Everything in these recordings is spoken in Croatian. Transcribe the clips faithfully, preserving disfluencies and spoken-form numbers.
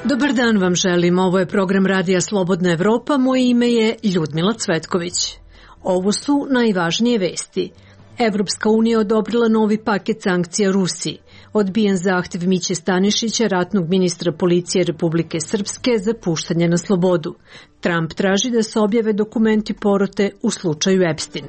Dobar dan vam želim, ovo je program Radija Slobodna Evropa, moje ime je Ljudmila Cvetković. Ovo su najvažnije vesti. Evropska unija odobrila novi paket sankcija Rusiji. Odbijen zahtev Miće Stanišića, ratnog ministra policije Republike Srpske, za puštanje na slobodu. Trump traži da se objave dokumenti porote u slučaju Epstein.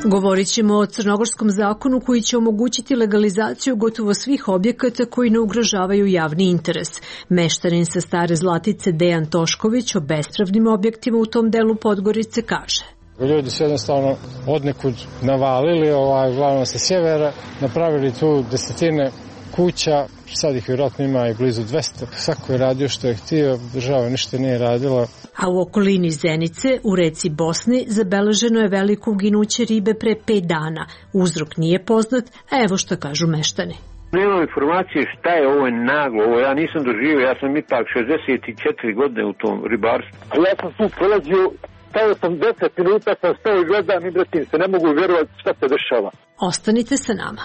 Govorit ćemo o crnogorskom zakonu koji će omogućiti legalizaciju gotovo svih objekata koji ne ugrožavaju javni interes. Meštarin sa Stare Zlatice Dejan Tošković o bespravnim objektima u tom delu Podgorice kaže. Ljudi su jednostavno odnekud navalili, ovaj, uglavnom sa sjevera, napravili tu desetine kuća, sad ih vjerojatno ima i blizu dvesta. Svako je radio što je htio, država ništa nije radila. A u okolini Zenice, u reci Bosni, zabeleženo je veliko uginuće ribe pre pet dana. Uzrok nije poznat, a evo što kažu meštani. Nemam informacije šta je ovo naglo, ovo ja nisam doživio, ja sam ipak šezdeset četiri godine u tom ribarstvu. Ja sam tu prolazio, stavio sam deset minuta, sam stao i gledam i bratim se, ne mogu vjerovati šta se dešava. Ostanite sa nama.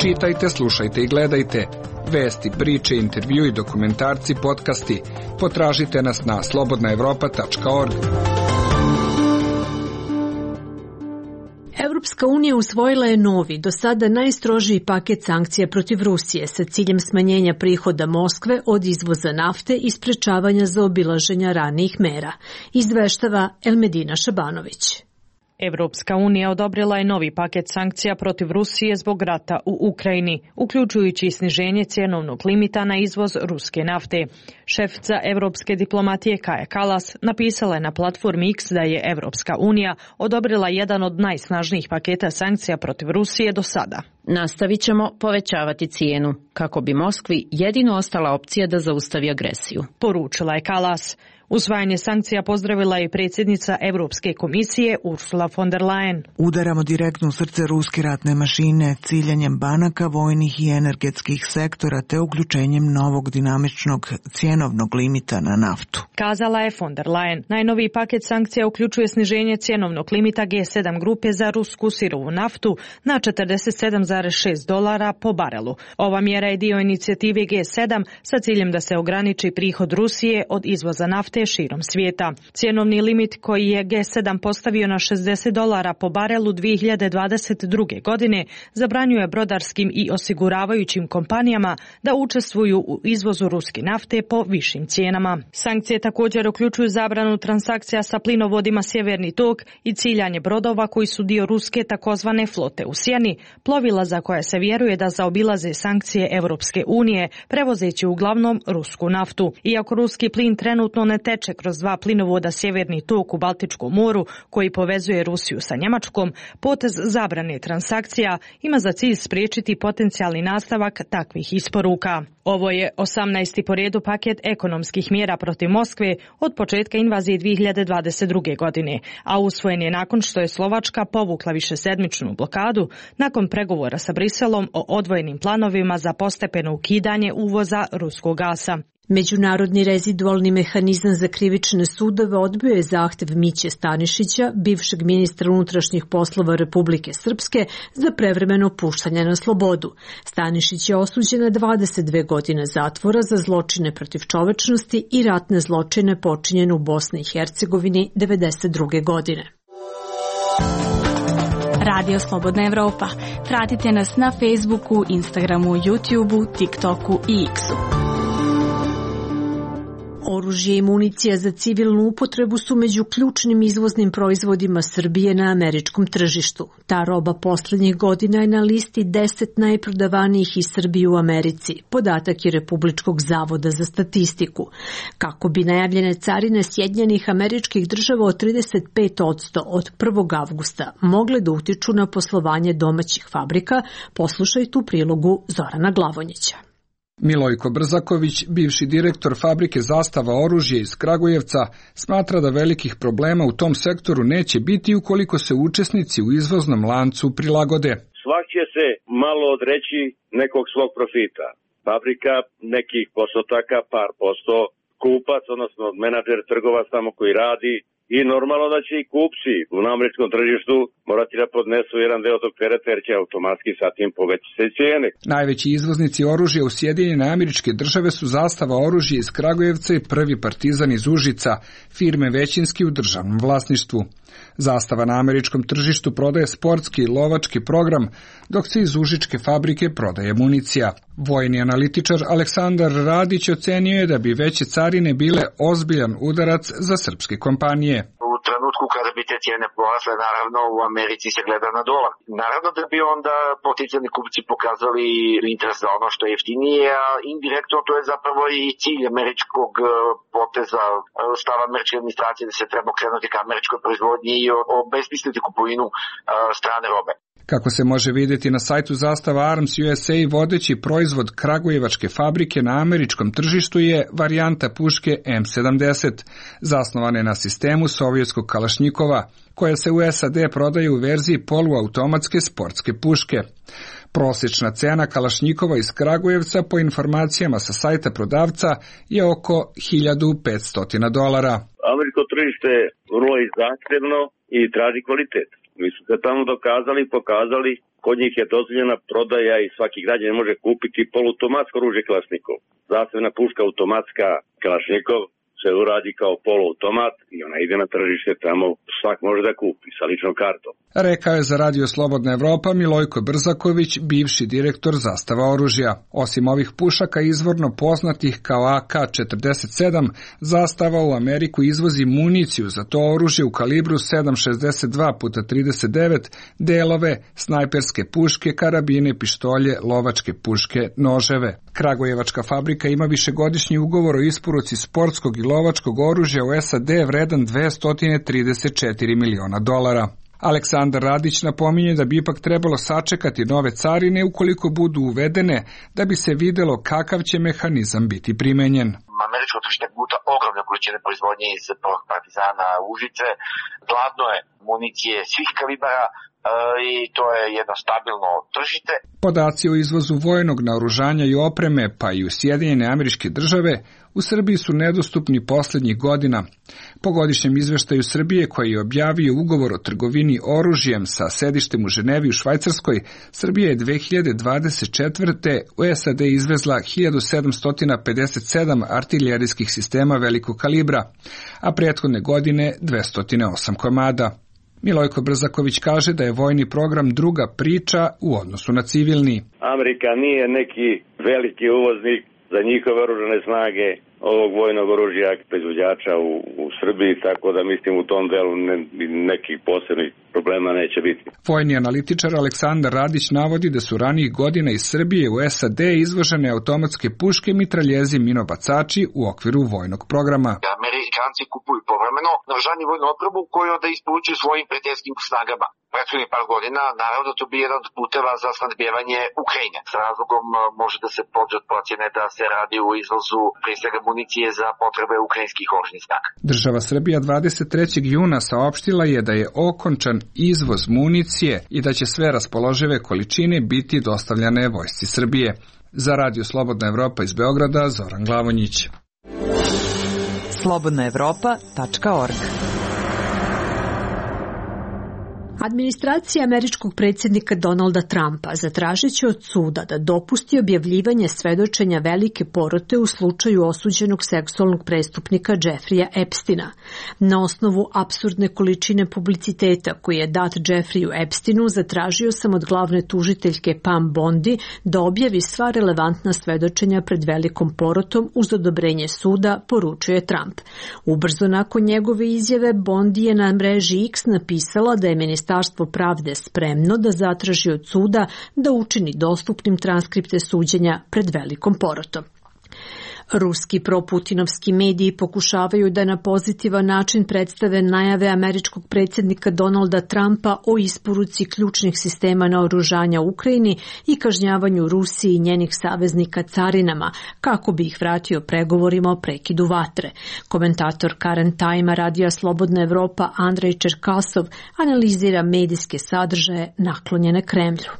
Čitajte, slušajte i gledajte. Vesti, priče, intervju i dokumentarci, podcasti. Potražite nas na slobodna evropa tačka org. Evropska unija usvojila je novi, do sada najstrožiji paket sankcija protiv Rusije sa ciljem smanjenja prihoda Moskve od izvoza nafte i sprečavanja zaobilaženja ranijih mera, izveštava Elmedina Šabanović. Evropska unija odobrila je novi paket sankcija protiv Rusije zbog rata u Ukrajini, uključujući sniženje cjenovnog limita na izvoz ruske nafte. Šefica evropske diplomatije Kaja Kallas napisala je na platformi X da je Evropska unija odobrila jedan od najsnažnijih paketa sankcija protiv Rusije do sada. Nastavit ćemo povećavati cijenu, kako bi Moskvi jedino ostala opcija da zaustavi agresiju, poručila je Kallas. Usvajanje sankcija pozdravila je predsjednica Europske komisije Ursula von der Leyen. Udaramo direktno u srce ruske ratne mašine, ciljanjem banaka, vojnih i energetskih sektora te uključenjem novog dinamičnog cjenovnog limita na naftu, kazala je von der Leyen. Najnoviji paket sankcija uključuje sniženje cjenovnog limita G sedam grupe za rusku sirovu naftu na četrdeset sedam zarez šest dolara po barelu. Ova mjera je dio inicijative G sedam sa ciljem da se ograniči prihod Rusije od izvoza nafte širom svijeta. Cjenovni limit koji je G sedam postavio na šezdeset dolara po barelu dvije hiljade dvadeset druge. godine zabranjuje brodarskim i osiguravajućim kompanijama da učestvuju u izvozu ruske nafte po višim cijenama. Sankcije također uključuju zabranu transakcija sa plinovodima Sjeverni tok i ciljanje brodova koji su dio ruske takozvane flote u sjeni, plovila za koje se vjeruje da zaobilaze sankcije Evropske unije, prevozeći uglavnom rusku naftu. Iako ruski plin trenutno ne teče kroz dva plinovoda Sjeverni tok u Baltičkom moru koji povezuje Rusiju sa Njemačkom, potez zabrane transakcija ima za cilj spriječiti potencijalni nastavak takvih isporuka. Ovo je osamnaesti po redu paket ekonomskih mjera protiv Moskve od početka invazije dvije hiljade dvadeset druge. godine, a usvojen je nakon što je Slovačka povukla višesedmičnu blokadu nakon pregovora sa Briselom o odvojenim planovima za postepeno ukidanje uvoza ruskog gasa. Međunarodni rezidualni mehanizam za krivične sudove odbio je zahtev Miće Stanišića, bivšeg ministra unutrašnjih poslova Republike Srpske, za prevremeno puštanje na slobodu. Stanišić je osuđen na dvadeset dve godine zatvora za zločine protiv čovečnosti i ratne zločine počinjene u Bosni i Hercegovini devedeset druge. godine. Radio Slobodna Evropa. Pratite nas na Facebooku, Instagramu, YouTubeu, TikToku i X-u. Oružje i municija za civilnu upotrebu su među ključnim izvoznim proizvodima Srbije na američkom tržištu. Ta roba posljednjih godina je na listi deset najprodavanijih iz Srbije u Americi. Podatak je Republičkog zavoda za statistiku. Kako bi najavljene carine Sjedinjenih Američkih Država od trideset pet posto od prvog avgusta mogle da utiču na poslovanje domaćih fabrika, poslušaj tu prilogu Zorana Glavonjića. Milojko Brzaković, bivši direktor fabrike Zastava oružje iz Kragujevca, smatra da velikih problema u tom sektoru neće biti ukoliko se učesnici u izvoznom lancu prilagode. Svak će se malo odreći nekog svog profita. Fabrika nekih postotaka, par posto, kupac, odnosno menadžer, trgovac tamo koji radi, i normalno da će i kupci na američkom tržištu morati da podnesu jedan deo tog tereta jer će automatski sa tim poveći se cijene. Najveći izvoznici oružja u Sjedinjene Američke Države su Zastava oružja iz Kragujevca i Prvi Partizan iz Užica, firme većinski u državnom vlasništvu. Zastava na američkom tržištu prodaje sportski i lovački program, dok se iz užičke fabrike prodaje municija. Vojni analitičar Aleksandar Radić ocenio je da bi veće carine bile ozbiljan udarac za srpske kompanije. U trenutku kada bi te cijene porasle, naravno u Americi se gleda na dolar. Naravno da bi onda potencijalni kupci pokazali interes za ono što je jeftinije, a indirektno to je zapravo i cilj američkog poteza, stava američke administracije da se treba krenuti ka američkoj proizvodnji i obesmisliti kupovinu strane robe. Kako se može vidjeti na sajtu Zastava Arms U S A, vodeći proizvod kragujevačke fabrike na američkom tržištu je varijanta puške M sedamdeset, zasnovane na sistemu sovjetskog kalašnjikova, koja se u S A D prodaje u verziji poluautomatske sportske puške. Prosječna cena kalašnjikova iz Kragujevca po informacijama sa sajta prodavca je oko hiljadu petsto dolara. Američko tržište je vrlo zahtjevno i traži kvalitet. Mi su se tamo dokazali i pokazali, kod njih je dozvoljena prodaja i svaki građanin može kupiti poluautomatsko oružje kalašnjikov. Zasebna puška automatska kalašnjikov se uradi kao poluautomat i ona ide na tržište tamo, svak može da kupi sa ličnom kartom. Rekao je za Radio Slobodna Evropa Milojko Brzaković, bivši direktor Zastava oružja. Osim ovih pušaka izvorno poznatih kao A K četrdeset sedam, Zastava u Ameriku izvozi municiju za to oružje u kalibru sedam šezdeset dva puta trideset devet, delove, snajperske puške, karabine, pištolje, lovačke puške, noževe. Kragujevačka fabrika ima višegodišnji ugovor o isporuci sportskog i lovačkog oružja u S A D vredan dvesta trideset četiri miliona dolara. Aleksandar Radić napominje da bi ipak trebalo sačekati nove carine ukoliko budu uvedene, da bi se videlo kakav će mehanizam biti primenjen. Američko tržište guta ogromne količine proizvodnje iz Partizana Užice, gladno je municije svih kalibara i to je jedno stabilno tržište. Podaci o izvozu vojnog naoružanja i opreme, pa i u Sjedinjene Američke Države, u Srbiji su nedostupni posljednjih godina. Po godišnjem izveštaju Srbije, koji je objavio ugovor o trgovini oružjem sa sedištem u Ženevi u Švajcarskoj, Srbija je dve hiljade dvadeset četvrte. u S A D izvezla hiljadu sedamsto pedeset sedam artiljerijskih sistema velikog kalibra, a prethodne godine dvesta osam komada. Milojko Brzaković kaže da je vojni program druga priča u odnosu na civilni. Amerika nije neki veliki uvoznik za njihove oružane snage ovog vojnog oružja proizvođača u, u Srbiji, tako da mislim u tom delu ne, nekih posebnih problema neće biti. Vojni analitičar Aleksandar Radić navodi da su ranijih godina iz Srbije u S A D izvožene automatske puške, mitraljezi, minobacači u okviru vojnog programa. Amerikanci kupuju povremeno naoružanje i vojnu opremu koju onda isporučuju svojim prijateljskim snagama. Prethodnih par godina, naravno, to bi jedan od puteva za snadbijevanje Ukrajine. S razlogom može da se pođe od procjene da se radi u izvozu prije svega municije za potrebe ukrajinskih oružanih snaga. Država Srbija dvadeset trećeg juna saopštila je da je okončan izvoz municije i da će sve raspoložive količine biti dostavljane vojsci Srbije. Za Radio Slobodna Evropa iz Beograda, Zoran Glavonjić. slobodna evropa tačka org. Administracija američkog predsjednika Donalda Trumpa zatražit će od suda da dopusti objavljivanje svedočenja velike porote u slučaju osuđenog seksualnog prestupnika Jeffreya Epsteina. Na osnovu apsurdne količine publiciteta koji je dat Jeffreyu Epsteinu, zatražio sam od glavne tužiteljke Pam Bondi da objavi sva relevantna svedočenja pred velikom porotom uz odobrenje suda, poručuje Trump. Ubrzo nakon njegove izjave, Bondi je na mreži X napisala da je Ministarstvo pravde spremno da zatraži od suda da učini dostupnim transkripte suđenja pred velikom porotom. Ruski proputinovski mediji pokušavaju da na pozitivan način predstave najave američkog predsjednika Donalda Trumpa o isporuci ključnih sistema naoružanja Ukrajini i kažnjavanju Rusiji i njenih saveznika carinama, kako bi ih vratio pregovorima o prekidu vatre. Komentator Current Time-a Radija Slobodna Evropa Andrej Čerkasov analizira medijske sadržaje naklonjene Kremlju.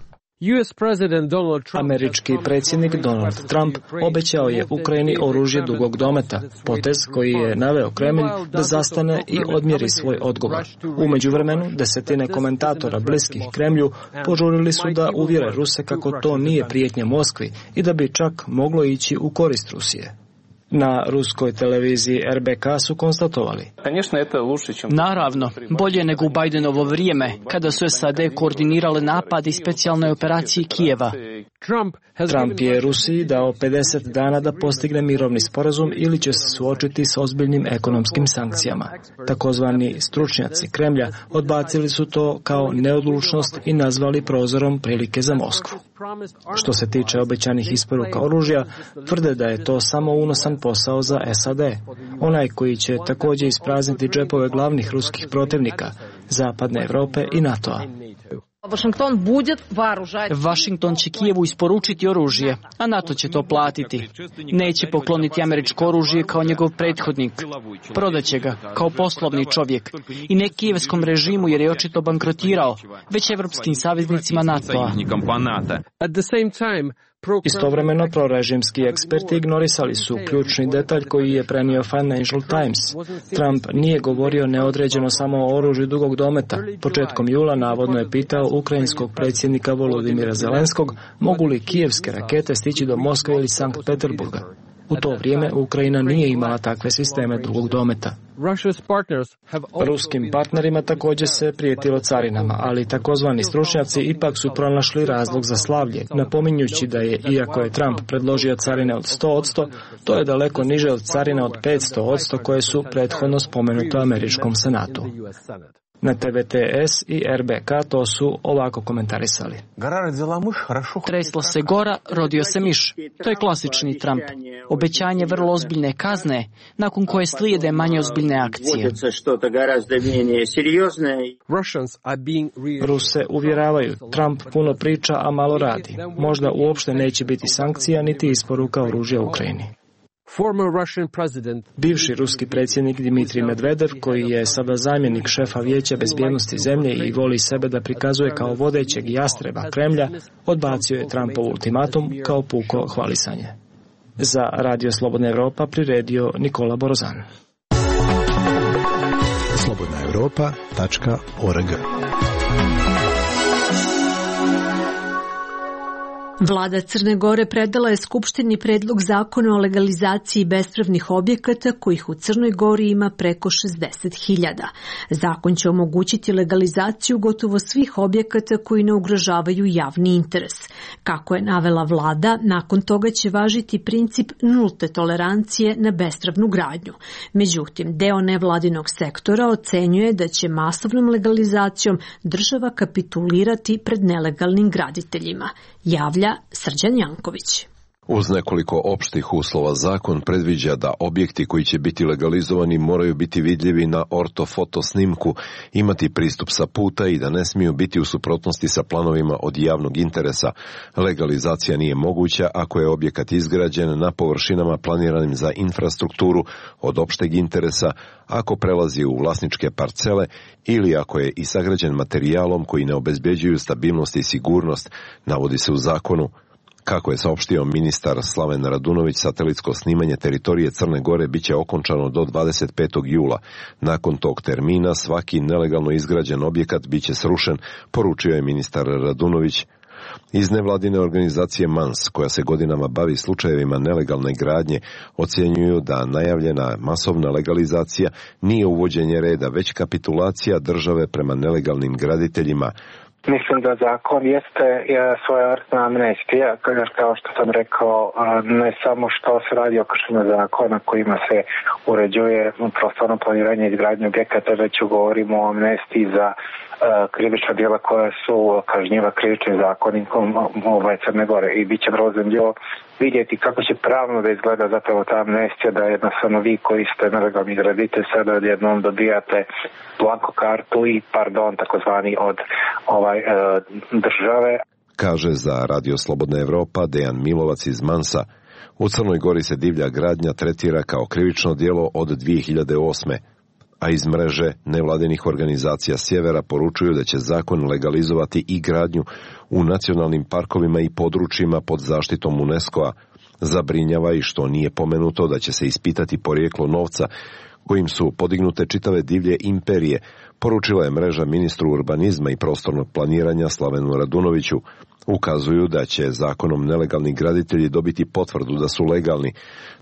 Američki predsjednik Donald Trump obećao je Ukrajini oružje dugog dometa, potez koji je naveo Kremlj da zastane i odmjeri svoj odgovor. U međuvremenu, desetine komentatora bliskih Kremlju požurili su da uvjere Ruse kako to nije prijetnja Moskvi i da bi čak moglo ići u korist Rusije. Na ruskoj televiziji R B K su konstatovali: Naravno, bolje nego u Bidenovo vrijeme, kada su S A D koordinirale napad i specijalne operacije Kijeva. Trump je Rusiji dao pedeset dana da postigne mirovni sporazum ili će se suočiti s ozbiljnim ekonomskim sankcijama. Takozvani stručnjaci Kremlja odbacili su to kao neodlučnost i nazvali prozorom prilike za Moskvu. Što se tiče obećanih isporuka oružja, tvrde da je to samo unosan posao za S A D, onaj koji će također isprazniti džepove glavnih ruskih protivnika, Zapadne Europe i NATO-a. Washington će Kijevu isporučiti oružje, a NATO će to platiti. Neće pokloniti američko oružje kao njegov prethodnik. Prodaće ga kao poslovni čovjek i ne kijevskom režimu jer je očito bankrotirao, već evropskim saveznicima NATO-a. Istovremeno, prorežimski eksperti ignorisali su ključni detalj koji je prenio Financial Times. Trump nije govorio neodređeno samo o oružju dugog dometa. Početkom jula navodno je pitao ukrajinskog predsjednika Volodimira Zelenskog mogu li kijevske rakete stići do Moskve ili Sankt Peterburga. U to vrijeme Ukrajina nije imala takve sisteme dugog dometa. Ruskim partnerima također se prijetilo carinama, ali takozvani stručnjaci ipak su pronašli razlog za slavlje, napominjući da je, iako je Trump predložio carine od sto posto, to je daleko niže od carina od petsto posto koje su prethodno spomenute u američkom senatu. Na T V T S i R B K to su ovako komentarisali: Tresla se gora, rodio se miš. To je klasični Trump. Obećanje vrlo ozbiljne kazne, nakon koje slijede manje ozbiljne akcije. Ruse uvjeravaju, Trump puno priča, a malo radi. Možda uopšte neće biti sankcija niti isporuka oružja Ukrajini. Bivši ruski predsjednik Dmitrij Medvedev, koji je sada zamjenik šefa Vijeća bezbjednosti zemlje i voli sebe da prikazuje kao vodećeg jastreba Kremlja, odbacio je Trumpov ultimatum kao puko hvalisanje. Za Radio Slobodna Evropa priredio Nikola Borozan. slobodna europa tačka org. Vlada Crne Gore predala je Skupštini predlog zakona o legalizaciji bespravnih objekata kojih u Crnoj Gori ima preko šezdeset hiljada. Zakon će omogućiti legalizaciju gotovo svih objekata koji ne ugrožavaju javni interes. Kako je navela vlada, nakon toga će važiti princip nulte tolerancije na bespravnu gradnju. Međutim, deo nevladinog sektora ocenjuje da će masovnom legalizacijom država kapitulirati pred nelegalnim graditeljima. Javlja Srđan Janković. Uz nekoliko opštih uslova zakon predviđa da objekti koji će biti legalizovani moraju biti vidljivi na ortofoto snimku, imati pristup sa puta i da ne smiju biti u suprotnosti sa planovima od javnog interesa. Legalizacija nije moguća ako je objekat izgrađen na površinama planiranim za infrastrukturu od opšteg interesa, ako prelazi u vlasničke parcele ili ako je i sagrađen materijalom koji ne obezbeđuju stabilnost i sigurnost, navodi se u zakonu. Kako je saopštio ministar Slaven Radunović, satelitsko snimanje teritorije Crne Gore biće okončano do dvadeset petog jula. Nakon tog termina svaki nelegalno izgrađen objekat biće srušen, poručio je ministar Radunović. Iz nevladine organizacije MANS, koja se godinama bavi slučajevima nelegalne gradnje, ocjenjuju da najavljena masovna legalizacija nije uvođenje reda, već kapitulacija države prema nelegalnim graditeljima. Mislim da zakon jeste svojevrsna amnestija, kao što sam rekao, ne samo što se radi o kršenju zakona kojima se uređuje prostorno planiranje i izgradnje objekata, već govorimo o amnestiji za krivična djela koja su kažnjiva krivičnim zakonikom ovaj Crne Gore i bit će vrlo zanimljivo vidjeti kako će pravno da izgleda zapravo ta amnestija, da jednostavno vi koji ste nelegalni graditelj sada odjednom dobijate blanko kartu i pardon takozvani od ovaj e, države. Kaže za Radio Slobodna Evropa Dejan Milovac iz Mansa. U Crnoj Gori se divlja gradnja tretira kao krivično djelo od dvije hiljade osme. a iz mreže nevladinih organizacija sjevera poručuju da će zakon legalizovati i gradnju u nacionalnim parkovima i područjima pod zaštitom UNESCO-a. Zabrinjava i što nije pomenuto da će se ispitati porijeklo novca kojim su podignute čitave divlje imperije, poručila je mreža ministru urbanizma i prostornog planiranja Slavenu Radunoviću. Ukazuju da će zakonom nelegalni graditelji dobiti potvrdu da su legalni,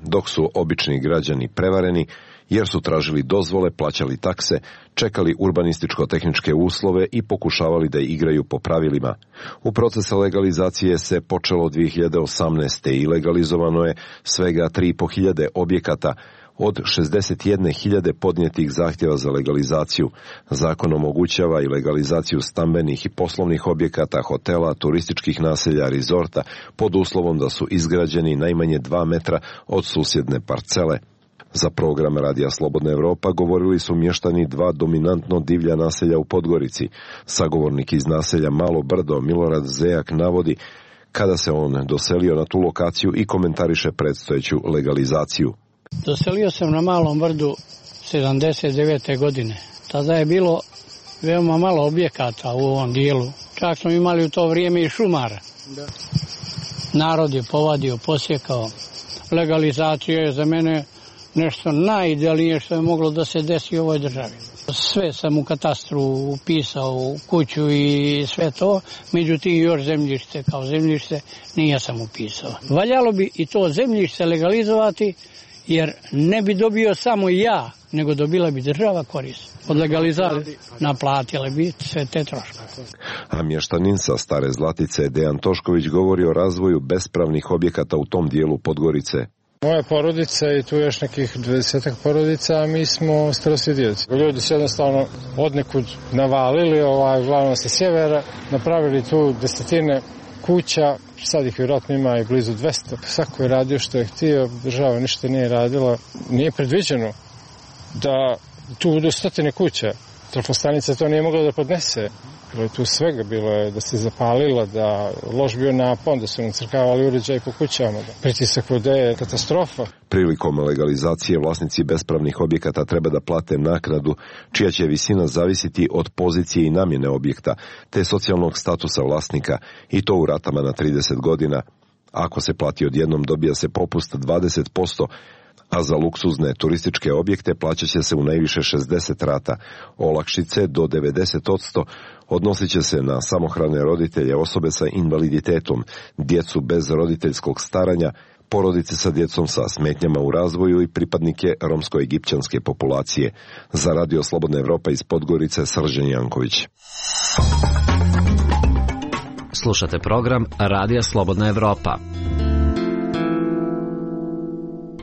dok su obični građani prevareni jer su tražili dozvole, plaćali takse, čekali urbanističko-tehničke uslove i pokušavali da igraju po pravilima. U procesu legalizacije se počelo dvije hiljade osamnaeste. i legalizovano je svega tri i po hiljade objekata od šezdeset jedne hiljade podnijetih zahtjeva za legalizaciju. Zakon omogućava i legalizaciju stambenih i poslovnih objekata, hotela, turističkih naselja, rezorta, pod uslovom da su izgrađeni najmanje dva metra od susjedne parcele. Za program Radija Slobodna Evropa govorili su mještani dva dominantno divlja naselja u Podgorici. Sagovornik iz naselja Malo Brdo, Milorad Zejak, navodi kada se on doselio na tu lokaciju i komentariše predstojeću legalizaciju. Doselio sam na Malom Brdu sedamdeset devete. godine. Tada je bilo veoma malo objekata u ovom dijelu. Čak smo imali u to vrijeme i šumara. Da. Narod je povadio, posjekao. Legalizacija je za mene nešto najidealnije što je moglo da se desi u ovoj državi. Sve sam u katastru upisao, u kuću i sve to, međutim još zemljište kao zemljište nije sam upisao. Valjalo bi i to zemljište legalizovati, jer ne bi dobio samo ja, nego dobila bi država korist. Od legalizacije naplatile bi sve te troškove. A mještanin sa Stare Zlatice Dejan Tošković govori o razvoju bespravnih objekata u tom dijelu Podgorice. Moja porodica i tu još nekih dvadesetak porodica, a mi smo starosjedioci. Ljudi su jednostavno odnekud navalili, ovaj, uglavnom sa sjevera, napravili tu desetine kuća, sad ih vjerojatno ima i blizu dvesta. Svako je radio što je htio, država ništa nije radila. Nije predviđeno da tu budu stotine kuća. Trafostanica to nije mogla da podnese. Bilo je tu svega, bilo je da se zapalila, da loš bio napon, da su nacrkavali uređaj po kućama, da pritisak vode je katastrofa. Prilikom legalizacije vlasnici bespravnih objekata treba da plate naknadu, čija će visina zavisiti od pozicije i namjene objekta, te socijalnog statusa vlasnika, i to u ratama na trideset godina. Ako se plati odjednom, dobija se popust dvadeset posto, a za luksuzne turističke objekte plaćat će se u najviše šezdeset rata. Olakšice do devedeset posto odnosit će se na samohrane roditelje, osobe sa invaliditetom, djecu bez roditeljskog staranja, porodice sa djecom sa smetnjama u razvoju i pripadnike romsko-egipćanske populacije. Za Radio Slobodna Evropa iz Podgorice, Srđan Janković. Slušate program Radija Slobodna Evropa.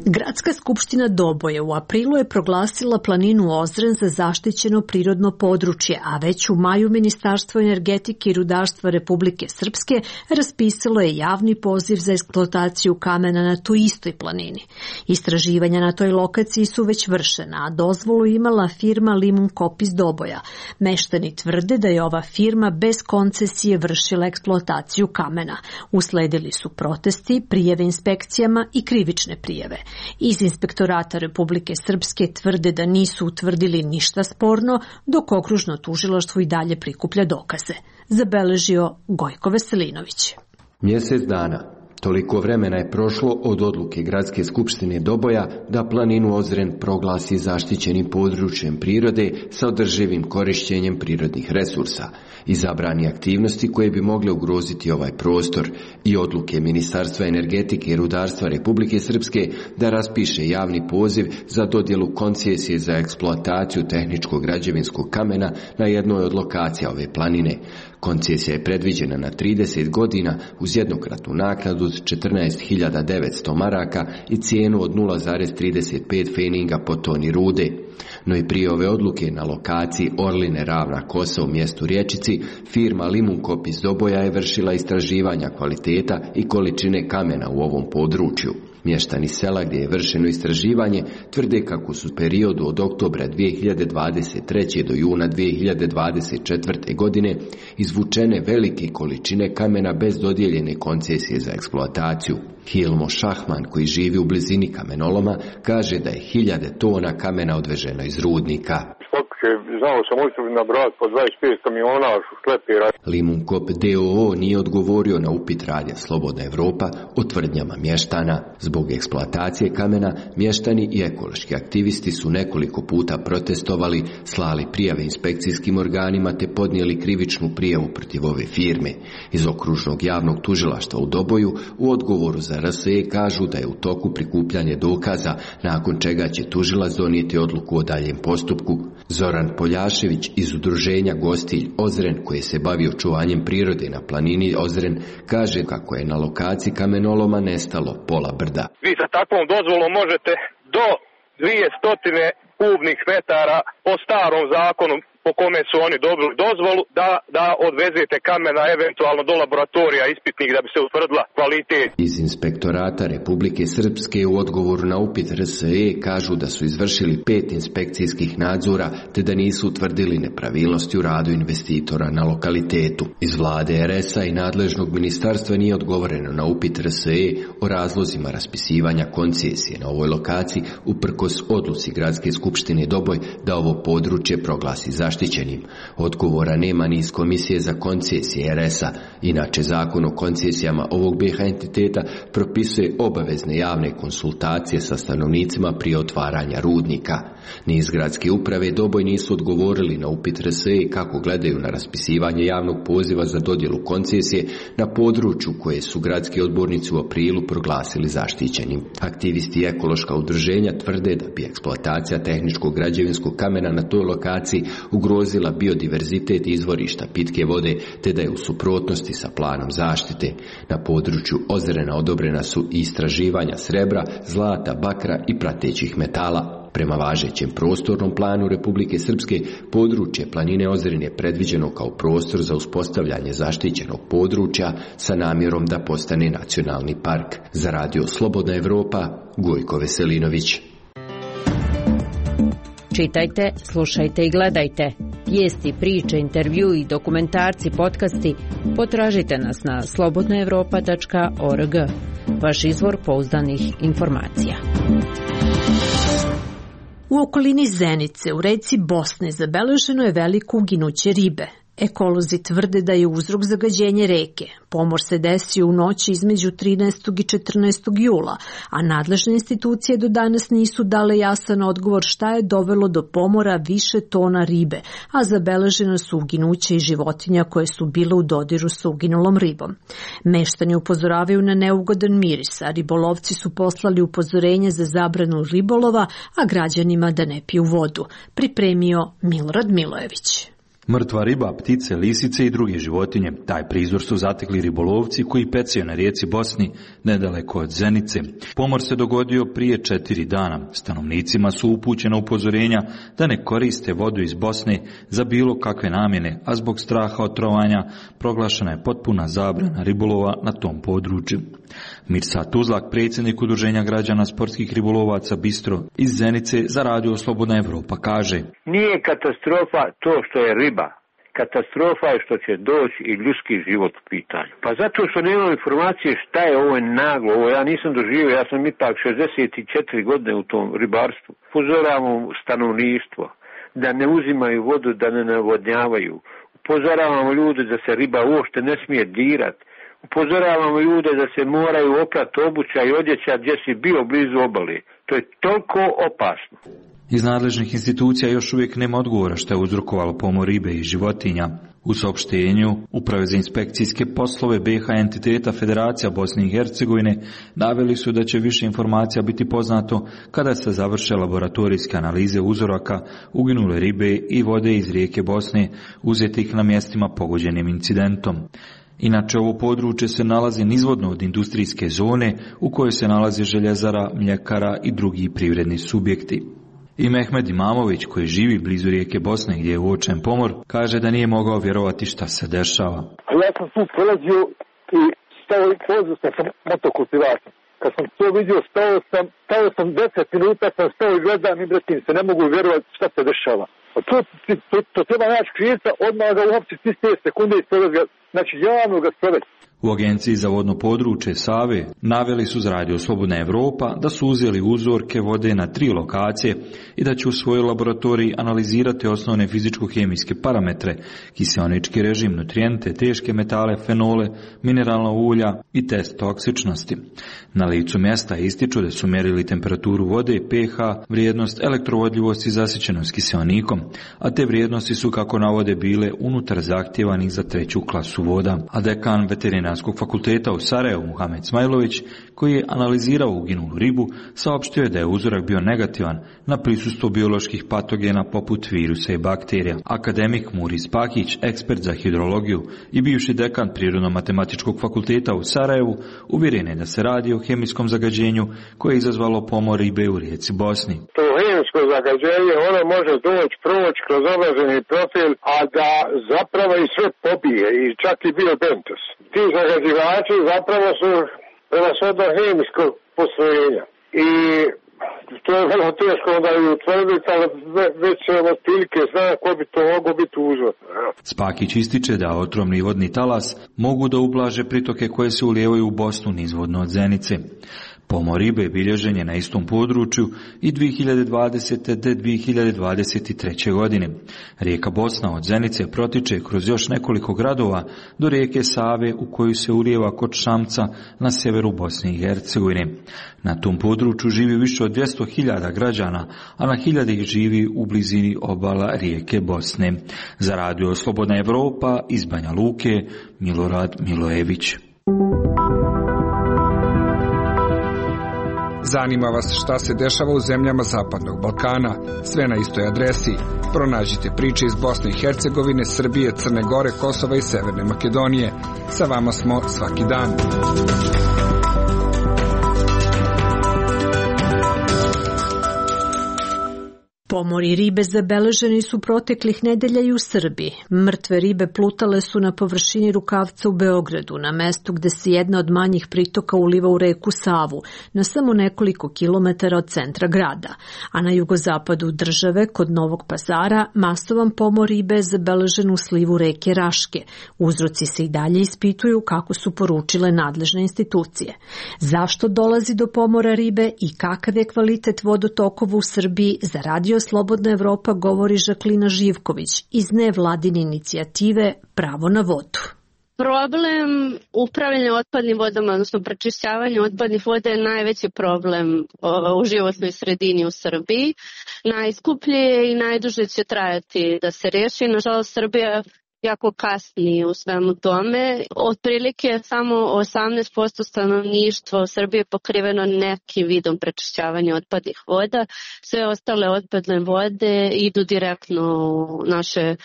Gradska skupština Doboje u aprilu je proglasila planinu Ozren za zaštićeno prirodno područje, a već u maju Ministarstvo energetike i rudarstva Republike Srpske raspisalo je javni poziv za eksploataciju kamena na toj istoj planini. Istraživanja na toj lokaciji su već vršena, a dozvolu imala firma Limunkop iz Doboja. Meštani tvrde da je ova firma bez koncesije vršila eksploataciju kamena. Usledili su protesti, prijave inspekcijama i krivične prijave. Iz Inspektorata Republike Srpske tvrde da nisu utvrdili ništa sporno, dok okružno tužilaštvo i dalje prikuplja dokaze. Zabeležio Gojko Veselinović. Mjesec dana. Toliko vremena je prošlo od odluke Gradske skupštine Doboja da planinu Ozren proglasi zaštićenim područjem prirode sa održivim korištenjem prirodnih resursa i zabrani aktivnosti koje bi mogle ugroziti ovaj prostor i odluke Ministarstva energetike i rudarstva Republike Srpske da raspiše javni poziv za dodjelu koncesije za eksploataciju tehničkog građevinskog kamena na jednoj od lokacija ove planine. Koncesija je predviđena na trideset godina uz jednokratnu naknadu od četrnaest hiljada devetsto maraka i cijenu od nula zarez trideset pet feninga po toni rude. No i prije ove odluke na lokaciji Orline Ravna Kosa u mjestu Rječici, firma Limunkop iz Doboja je vršila istraživanja kvaliteta i količine kamena u ovom području. Mještani sela gdje je vršeno istraživanje tvrde kako su u periodu od oktobra dvije hiljade dvadeset treće do juna dvije hiljade dvadeset četvrte. godine izvučene velike količine kamena bez dodijeljene koncesije za eksploataciju. Hilmo Šahman, koji živi u blizini kamenoloma, kaže da je hiljade tona kamena odveženo iz rudnika. Znao sam osobno nabrati po dvadeset pet kamiona šlepera. Limunkop D O O nije odgovorio na upit radija Slobodna Evropa o tvrdnjama mještana. Zbog eksploatacije kamena, mještani i ekološki aktivisti su nekoliko puta protestovali, slali prijave inspekcijskim organima te podnijeli krivičnu prijavu protiv ove firme. Iz okružnog javnog tužilaštva u Doboju u odgovoru za R S E kažu da je u toku prikupljanje dokaza, nakon čega će tužilac donijeti odluku o daljem postupku. Zoran Poljašević iz udruženja Gostilj Ozren, koji se bavi očuvanjem prirode na planini Ozren, kaže kako je na lokaciji kamenoloma nestalo pola brda. Vi sa takvom dozvolom možete do dvjesto kubnih metara po starom zakonu po kome su oni dobili dozvolu da, da odvezete kamena eventualno do laboratorija ispitnih da bi se utvrdila kvalitet. Iz Inspektorata Republike Srpske u odgovoru na upit R S E kažu da su izvršili pet inspekcijskih nadzora te da nisu utvrdili nepravilnosti u radu investitora na lokalitetu. Iz vlade R S-a i nadležnog ministarstva nije odgovoreno na upit R S E o razlozima raspisivanja koncesije na ovoj lokaciji uprkos odluci Gradske skupštine Doboj da ovo područje proglasi za zaštićenim. Odgovora nema ni iz Komisije za koncesije R S-a. Inače, zakon o koncesijama ovog B H entiteta propisuje obavezne javne konsultacije sa stanovnicima prije otvaranja rudnika. Ni iz Gradske uprave Doboj nisu odgovorili na upit R S E kako gledaju na raspisivanje javnog poziva za dodjelu koncesije na području koje su gradski odbornici u aprilu proglasili zaštićenim. Aktivisti i ekološka udruženja tvrde da bi eksploatacija tehničkog građevinskog kamena na toj lokaciji ugrozila biodiverzitet izvorišta pitke vode, te da je u suprotnosti sa planom zaštite. Na području Ozrena odobrena su i istraživanja srebra, zlata, bakra i pratećih metala. Prema važećem prostornom planu Republike Srpske, područje planine Ozren je predviđeno kao prostor za uspostavljanje zaštićenog područja sa namjerom da postane nacionalni park. Za radio Slobodna Evropa, Gojko Veselinović. Čitajte, slušajte i gledajte. Vijesti, priče, intervju i dokumentarci, podcasti potražite nas na slobodna evropa tačka org. Vaš izvor pouzdanih informacija. U okolini Zenice u reci Bosne zabeleženo je veliko uginuće ribe. Ekolozi tvrde da je uzrok zagađenje reke. Pomor se desio u noći između trinaestog i četrnaestog jula, a nadležne institucije do danas nisu dale jasan odgovor šta je dovelo do pomora više tona ribe, a zabeleženo su uginuće i životinja koje su bile u dodiru sa uginulom ribom. Meštani upozoravaju na neugodan miris, a ribolovci su poslali upozorenje za zabranu ribolova, a građanima da ne piju vodu. Pripremio Milorad Milojević. Mrtva riba, ptice, lisice i druge životinje. Taj prizor su zatekli ribolovci koji pecaju na rijeci Bosni, nedaleko od Zenice. Pomor se dogodio prije četiri dana. Stanovnicima su upućena upozorenja da ne koriste vodu iz Bosne za bilo kakve namjene, a zbog straha od trovanja proglašena je potpuna zabrana ribolova na tom području. Mirsad Tuzlak, predsjednik Udruženja građana sportskih ribolovaca Bistro iz Zenice za radio Slobodna Evropa, kaže: Nije katastrofa to što je riba. Katastrofa je što će doći i ljudski život u pitanju. Pa zato što nemam informacije šta je ovo naglo, ovo ja nisam doživio, ja sam ipak šezdeset četiri godine u tom ribarstvu. Upozoravamo stanovništvo da ne uzimaju vodu, da ne navodnjavaju. Upozoravamo ljude da se riba uopšte ne smije dirati. Upozoravamo ljude da se moraju oprati obuća i odjeća gdje si bio blizu obale. To je toliko opasno. Iz nadležnih institucija još uvijek nema odgovora što je uzrokovalo pomor ribe i životinja. U saopštenju Uprave za inspekcijske poslove B H entiteta Federacija Bosne i Hercegovine naveli su da će više informacija biti poznato kada se završe laboratorijske analize uzoraka uginule ribe i vode iz rijeke Bosne uzetih na mjestima pogođenim incidentom. Inače, ovo područje se nalazi nizvodno od industrijske zone u kojoj se nalazi željezara, mljekara i drugi privredni subjekti. I Mehmed Imamović, koji živi blizu rijeke Bosne gdje je uočen pomor, kaže da nije mogao vjerovati šta se dešava. Ja sam tu prolazio i stao i pozvao sam motokultivator. Kad sam to vidio, stao sam, stao sam deset minuta, sam stao i gledam i bretim se, ne mogu vjerovati šta se dešava. To, to, to treba naći krivca, odmah ga uhapsiti iste sekunde i sprovesti ga, znači javno ga sprovesti. U Agenciji za vodno područje Save naveli su za Radio Slobodna Evropa da su uzeli uzorke vode na tri lokacije i da će u svojoj laboratoriji analizirati osnovne fizičko-hemijske parametre, kiseonički režim, nutrijente, teške metale, fenole, mineralna ulja i test toksičnosti. Na licu mjesta ističu da su mjerili temperaturu vode, pH, vrijednost elektrovodljivosti i zasićenost kiseonikom, a te vrijednosti su, kako navode, bile unutar zahtjevanih za treću klasu voda. A dekan Veterinarskog fakulteta u Sarajevu, Muhamed Smajlović, koji je analizirao uginulu ribu, saopštio je da je uzorak bio negativan na prisustvo bioloških patogena poput virusa i bakterija. Akademik Muris Pakić, ekspert za hidrologiju i bivši dekan Prirodno-matematičkog fakulteta u Sarajevu, uvjeren je da se radi o hemijskom zagađenju koje je izazvalo pomor ribe u rijeci Bosni. To hemijsko zagađenje, ono može doći, proći kroz određeni profil, a da zapravo i sve pobije, i čak i biobentos. Ti zagađivači zapravo su prevashodno hemijskog postrojenja. I to je vrlo teško onda i utvrditi, ali već se od prilike zna ko bi to moglo biti uzor. Spakić ističe da otrovni vodni talas mogu da ublaže pritoke koje se ulijevaju u Bosnu nizvodno od Zenice. Pomor ribe bilježen je na istom području i dvije hiljade dvadesete. do dvije hiljade dvadeset treće. godine. Rijeka Bosna od Zenice protiče kroz još nekoliko gradova do rijeke Save, u koju se ulijeva kod Šamca na severu Bosne i Hercegovine. Na tom području živi više od dvjesto hiljada građana, a na hiljade ih živi u blizini obala rijeke Bosne. Za Radio Slobodna Evropa iz Banja Luke, Milorad Milojević. Zanima vas šta se dešava u zemljama Zapadnog Balkana? Sve na istoj adresi. Pronađite priče iz Bosne i Hercegovine, Srbije, Crne Gore, Kosova i Severne Makedonije. Sa vama smo svaki dan. Pomori ribe zabeleženi su proteklih nedelja i u Srbiji. Mrtve ribe plutale su na površini rukavca u Beogradu, na mestu gde se jedna od manjih pritoka uliva u reku Savu, na samo nekoliko kilometara od centra grada. A na jugozapadu države, kod Novog Pazara, masovan pomor ribe je zabeležen u slivu reke Raške. Uzroci se i dalje ispituju, kako su poručile nadležne institucije. Zašto dolazi do pomora ribe i kakav je kvalitet vodotokova u Srbiji, za Radio Slobodna Evropa govori Žaklina Živković iz nevladine inicijative Pravo na vodu. Problem upravljanja otpadnim vodama, odnosno prečišćavanja otpadnih voda je najveći problem u životnoj sredini u Srbiji. Najskuplje je i najduže će trajati da se riješi. Nažalost, Srbija jako kasni u svemu tome. Otprilike samo osamnaest posto stanovništva u Srbiji je pokriveno nekim vidom prečišćavanja otpadnih voda. Sve ostale otpadne vode idu direktno u naše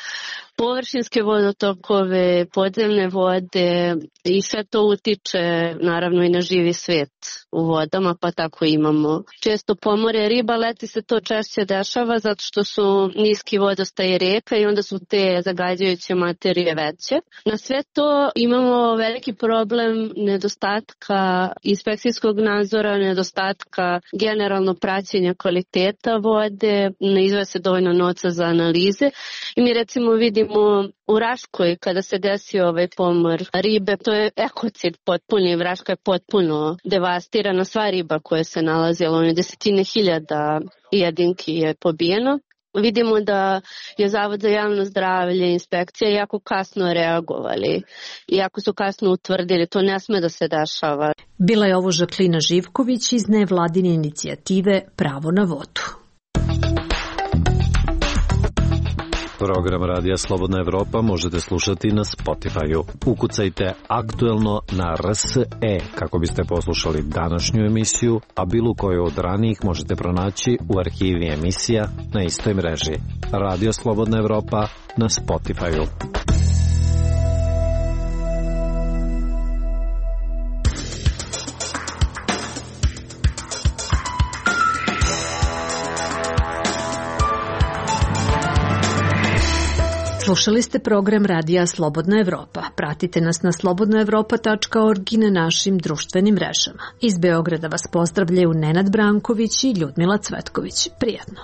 površinske vodotokove, podzemne vode i sve to utiče naravno i na živi svijet u vodama, pa tako imamo često pomore riba. Leti se to češće dešava zato što su niski vodostaj rijeka i onda su te zagađujuće materije veće. Na sve to imamo veliki problem nedostatka inspekcijskog nadzora, nedostatka generalno praćenja kvaliteta vode, ne izdvaja se dovoljno novca za analize i mi recimo vidimo u Raškoj kada se desio ovaj pomor ribe, to je ekocid potpuni, Raška je potpuno devastirana, sva riba koja se nalazila, ono desetine hiljada jedinki je pobijeno. Vidimo da je Zavod za javno zdravlje, inspekcija jako kasno reagovali, jako su kasno utvrdili, to ne sme da se dešava. Bila je ovo Žaklina Živković iz nevladine inicijative Pravo na vodu. Program Radija Slobodna Evropa možete slušati na Spotify-u. Ukucajte aktuelno na R S E kako biste poslušali današnju emisiju, a bilo koju od ranijih možete pronaći u arhivi emisija na istoj mreži. Radio Slobodna Evropa na Spotify-u. Slušali ste program Radija Slobodna Evropa. Pratite nas na slobodna evropa tačka org i na našim društvenim mrežama. Iz Beograda vas pozdravljaju Nenad Branković i Ljudmila Cvetković. Prijatno.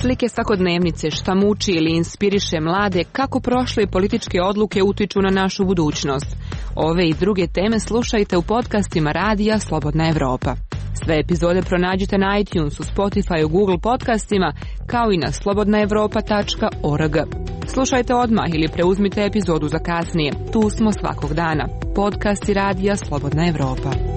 Slike svakodnevnice, šta muči ili inspiriše mlade, kako prošle političke odluke utiču na našu budućnost. Ove i druge teme slušajte u podcastima Radija Slobodna Evropa. Sve epizode pronađite na iTunesu, Spotifyu, Google podcastima, kao i na slobodna evropa tačka org. Slušajte odmah ili preuzmite epizodu za kasnije. Tu smo svakog dana. Podcasti Radija Slobodna Evropa.